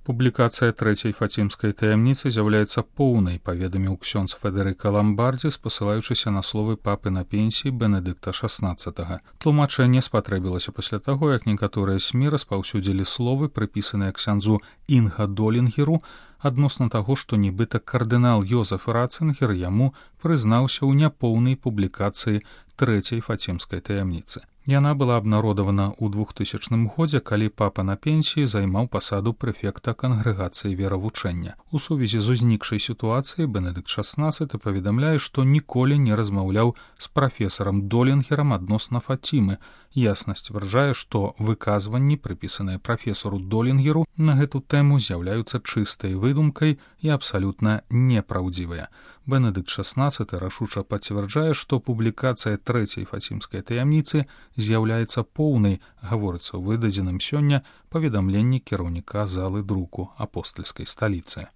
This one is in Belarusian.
Публікацыя трэцяй фацімскай таямніцы з'яўляецца поўнай, паведаміў ксёндз Федэрыка Ламбардзі, спасылаючыся на словы папы на пенсіі Бенедыкта XVI. Тлумачэнне спатрэбілася пасля таго, як некаторыя СМІ распаўсюдзілі словы, прыпісаныя ксяндзу Інга Долінгеру, адносна таго, што нібыта кардынал Йозеф Ратцынгер яму прызнаўся ў няпоўнай публікацыі трэцяй фацімскай таямніцы. Яна была абнародавана ў 2000 годзе, калі папа на пенсіі займаў пасаду прэфекта кангрэгацыі веравучэння. У сувязі з узнікшай сітуацыяй Бенедыкт XVI паведамляе, што ніколі не размаўляў з прафесарам Долінгерам адносна Фацімы. Ясна сцвярджае, што выказванні, прыпісаныя прафесару Долінгеру, на гэту тэму з'яўляюцца чыстай выдумкай і абсалютна непраўдзівыя. Бенедыкт XVI рашуча пацвярджае, што публікацыя трэцяй фацімскай таямніцы з'яўляецца поўнай, гаворыцца ў выдадзеным сёння паведамленні кіраўніка залы друку апостальскай сталіцы.